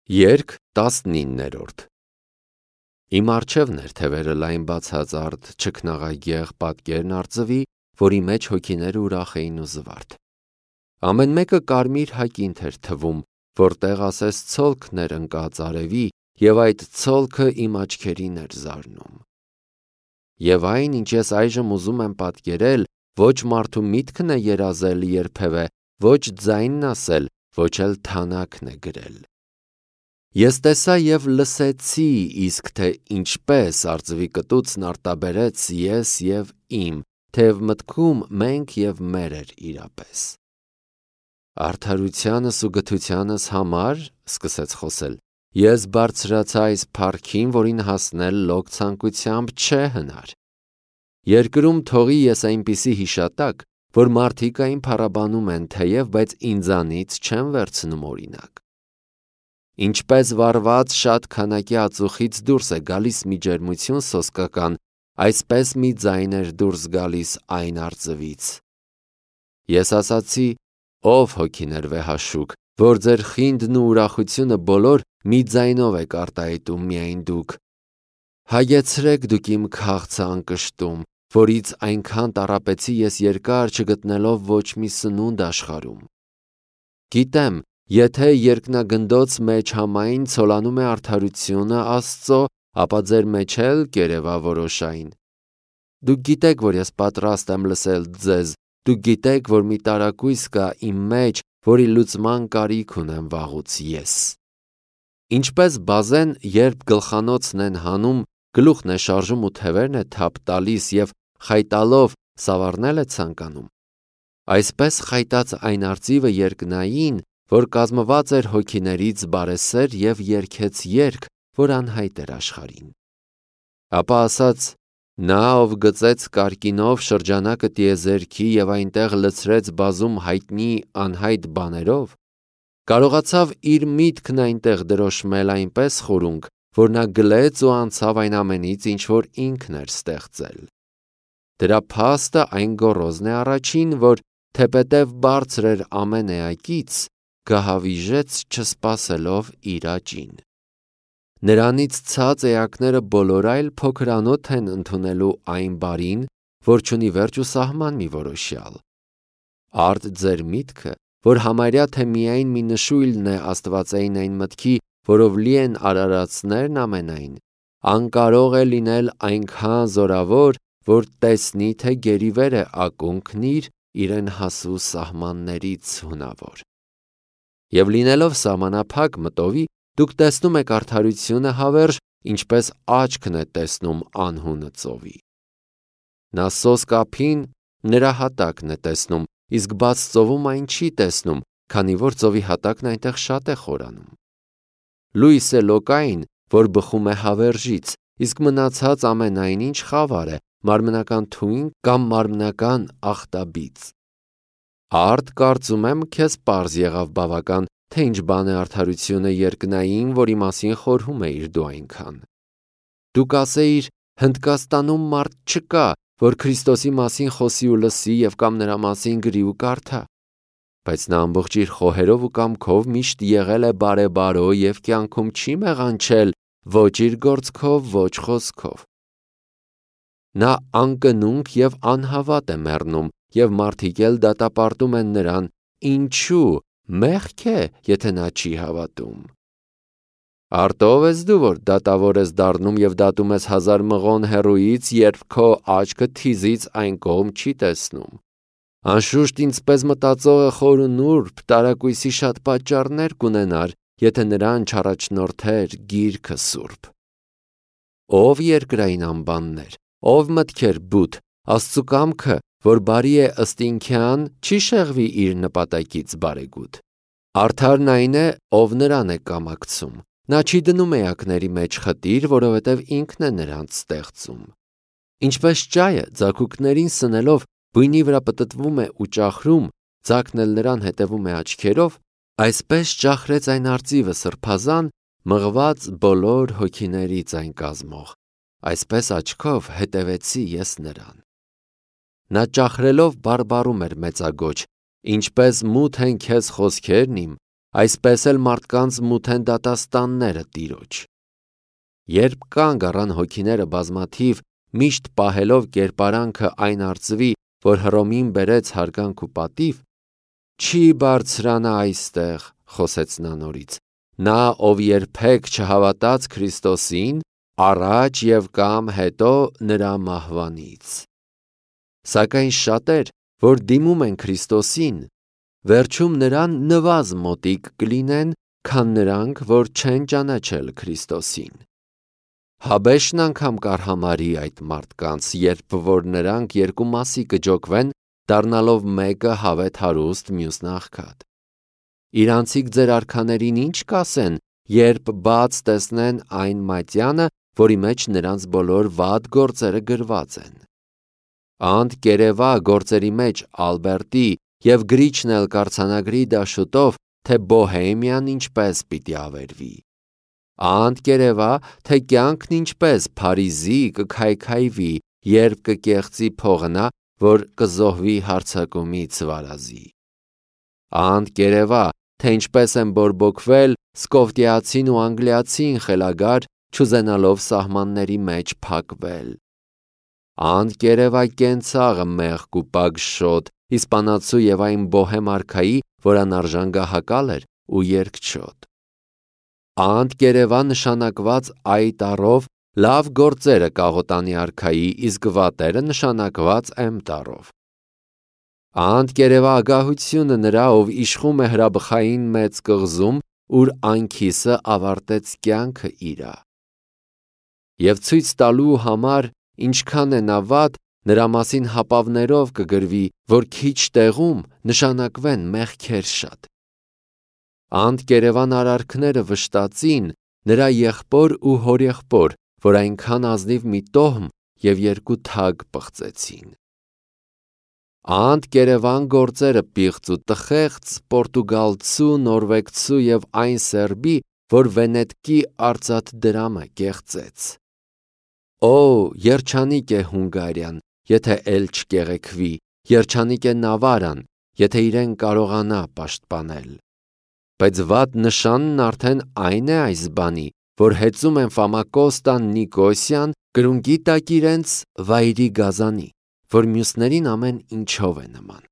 Երգ 19-րդ Իմ առջևն էր թևերը լայն բացածարդ չքնաղագեղ պատկերն արծվի, որի մեջ հոգիները ուրախ էին ու զվարթ։ Ամեն մեկը կարմիր հակինթ էր թվում, որտեղ ասես ցոլքն էր ընկած արևի, և այդ ցոլքը իմ աչքերին էր զարնում։ Եվ այն, ինչ ես այժմ ուզում եմ պատկերել, ոչ մարդու միտքն է երազել երբևէ, ոչ ձայնն ասել, ոչ էլ թանաքն է գրել։ Ես տեսա և լսեցի, իսկ թե ինչպես արծվի կտուցն արտաբերեց ես և իմ, թեև մտքում մենք և մեր էր իրապես։ Արդարությանս ու գթությանս համար, սկսեց խոսել, ես բարձրացա այս փառքին, որին հասնել լոկ ցանկությամբ չէ հնար։ Երկրում թողի ես այնպիսի հիշատակ, որ մարդիկ այն փառաբանում են թեև, բայց ինձանից չեն վերցնում օրինակ։ Ինչպես վառված շատ քանակի ածուխից դուրս է գալիս մի ջերմություն սոսկական, այսպես մի ձայն էր դուրս գալիս այն արծվից։ Ես ասացի, ով հոգիներ վեհաշուկ, որ ձեր խինդն ու ուրախությունը բոլոր մի ձայնով եք արտահայտում միայն դուք։ Հագեցրեք դուք իմ քաղցը անկշտում, որից այնքան տառապեցի ես երկար չգտնելով ոչ մի սնունդ աշխարհում։ Գիտեմ, եթե երկնագնդոց մեջ համայն ցոլանում է արդարությունը Աստծո, ապա ձեր մեջ էլ կերևավորոշային։ Դուք գիտեք, որ ես պատրաստ եմ լսել ձեզ, դուք գիտեք, որ մի տարակույս կա իմ մեջ, որի լուծման կարիք ունեմ վաղուց ես։ Ինչպես բազեն, երբ գլխանոցն են հանում, գլուխն է շարժում ու թևերն է թափ տալիս և խայտալով սավառնել է ցանկանում, այսպես խայտաց այն արծիվը երկնային, որ կազմված էր հոգիներից բարեսեր և երգեց երգ, որ անհայտ էր աշխարհին։ Ապա ասաց. նա, ով գծեց կարկինով շրջանակը տիեզերքի և այնտեղ լցրեց բազում հայտնի անհայտ բաներով, կարողացավ իր միտքն այնտեղ դրոշմել այնպես խորունկ, որ նա գլեց ու անցավ այն ամենից, ինչ որ ինքն էր ստեղծել։ Դրա փաստը այն գոռոզն է առաջին, որ թեպետև բարձր էր ամեն էակից, գահավիժեց չսպասելով իր աճին։ Նրանից ցած էակները բոլոր այլ փոքրանոթ են ընդունելու այն բարին, որ չունի վերջ ու սահման մի որոշյալ։ Արդ ձեր միտքը, որ համարյա թե միայն մի նշույլն է աստվածային այն մտքի, որով լի են արարածներն ամենայն, անկարող է լինել այնքան զորավոր, որ տեսնի, թե գերիվեր է ակունքն իրեն հասու սահմաններից հունավոր։ Եվ լինելով սահմանափակ մտովի, դուք տեսնում եք արդարությունը հավերժ, ինչպես աչքն է տեսնում անհունը ծովի։ Նա սոսկ ափին նրա հատակն է տեսնում, իսկ բաց ծովում այն չի տեսնում, քանի որ ծովի հատակն այնտեղ շատ է խորանում։ Լույս է լոկային, որ բխում է հավերժից, իսկ մնացած ամենայն ինչ խավար է, մարմնական թույն կամ մարմնական ախտաբիծ։ Արդ կարծում եմ քեզ պարզ եղավ բավական, թե ինչ բան է արդարությունը երկնային, որի մասին խորհում էիր դու այնքան։ Դու կասեիր, Հնդկաստանում մարդ չկա, որ Քրիստոսի մասին խոսի ու լսի և կամ նրա մասին գրի ու կարդա, բայց նա ամբողջ իր խոհերով ու կամքով միշտ եղել է բարեբարո և կյանքում չի մեղանչել ոչ իր գործքով, ոչ խոսքով։ Նա անկնունք և անհավատ է մեռնում, և մարդիկ էլ դատապարտում են նրան, ինչու, մեղք է, եթե նա չի հավատում։ Արդ ո՞վ ես դու, որ դատավոր ես դառնում և դատում ես հազար մղոն հեռուից, երբ քո աչքը թիզից այն կողմ չի տեսնում։ Անշուշտ ինձպես մտածողը խոր ու նուրբ տարակույսի շատ պատճառներ կունենար, եթե նրան չառաջնորդեր գիրքը սուրբ։ Ով երկրային անբաններ, ով մտքեր բութ, Աստծու կամքը, որ բարի է ըստ ինքյան, չի շեղվի իր նպատակից բարեգութ։ Արդարն այն է, ով նրան է կամակցում։ Նա չի դնում էակների մեջ խտիր, որովհետև ինքն է նրանց ստեղծում։ Ինչպես ճայը ձագուկներին սնելով բույնի վրա պտտվում է ու ճախրում, ձագն էլ նրան հետևում է աչքերով, այսպես ճախրեց այն արծիվը սրբազան, մղված բոլոր հոգիներից այն կազմող, այսպես աչքով հետևեցի ես նրան։ Նա ճախրելով բարբառում էր մեծագոչ, ինչպես մութ են քեզ խոսքերն իմ, այսպես էլ մարդկանց մութ են դատաստանները Տիրոջ։ Երբ կանգ առան հոգիները բազմաթիվ, միշտ պահելով կերպարանքը այն արծվի, որ Հռոմին բերեց հարգանք ու պատիվ, չի բարձրանա այստեղ, խոսեց նա նորից, նա, ով երբեք չհավատաց Քրիստոսին, առաջ և կամ հետո նրա մահվանից։ Սակայն շատեր, որ դիմում են Քրիստոսին, վերջում նրան նվազ մոտիկ կլինեն, քան նրանք, որ չեն ճանաչել Քրիստոսին։ Հաբեշն անգամ կարհամարի այդ մարդկանց, երբ որ նրանք երկու մասի կջոկվեն, դառնալով մեկը հավետ հարուստ, մյուսն աղքատ։ Իրանցիք ձեր արքաներին ինչ կասեն, երբ բաց տեսնեն այն մատյանը, որի մեջ նրանց բոլոր վատ գործերը գրված են։ Անդ կերևա գործերի մեջ Ալբերտի և գրիչն էլ կարձանագրի դաշուտով, թե Բոհեմիան ինչպես պիտի ավերվի։ Անդ կերևա, թե կյանքն ինչպես Փարիզի կքայքայվի, երբ կկեղծի փողնա, որ կզոհվի հարձակումից վարազի։ Անդ կերևա, թե ինչպես են բորբոքվել Սկովտիացին ու Անգլիացին խելագար, չուզենալով սահմանների մեջ փակվել։ Անդ կերևա կենցաղը մեղք ու պագշոտ, իսպանացու և այն բոհեմ արքայի, որ անարժան գահակալ էր ու երկչոտ։ Անդ կերևա նշանակված այ տառով լավ գործերը կաղոտանի արքայի, իսկ վատերը նշանակված M տառով։ Անդ կերևա ագահությունը նրա, ով իշխում է հրաբխային մեծ կղզում, ուր անքիսը ավարտեց կյանքը իրա։ Եվ ցույց տալու համար, ինչքան է նա վատ, նրա մասին հապավներով կգրվի, որ քիչ տեղում նշանակվեն մեղքեր շատ։ Անդ կերևան արարքները վշտացին, նրա եղբոր ու հորեղբոր, որ այնքան ազնիվ մի տոհմ և երկու թագ պղծեցին։ Անդ կերևան գործերը պիղծ ու տխեղծ, պորտուգալցու, նորվեգցու և այն սերբի, որ Վենետկի արծաթ դրամը կեղծեց։ Օ, երջանիկ է Հունգարիան, եթե էլ չկեղեքվի, երջանիկ է Նավարան, եթե իրեն կարողանա պաշտպանել։ Բայց վատ նշանն արդեն այն է այս բանի, որ հեծում են Ֆամակոստան, Նիկոսյան, կրունկի տակ իրենց վայրի գազանի, որ մյուսներին ամեն ինչով է նման։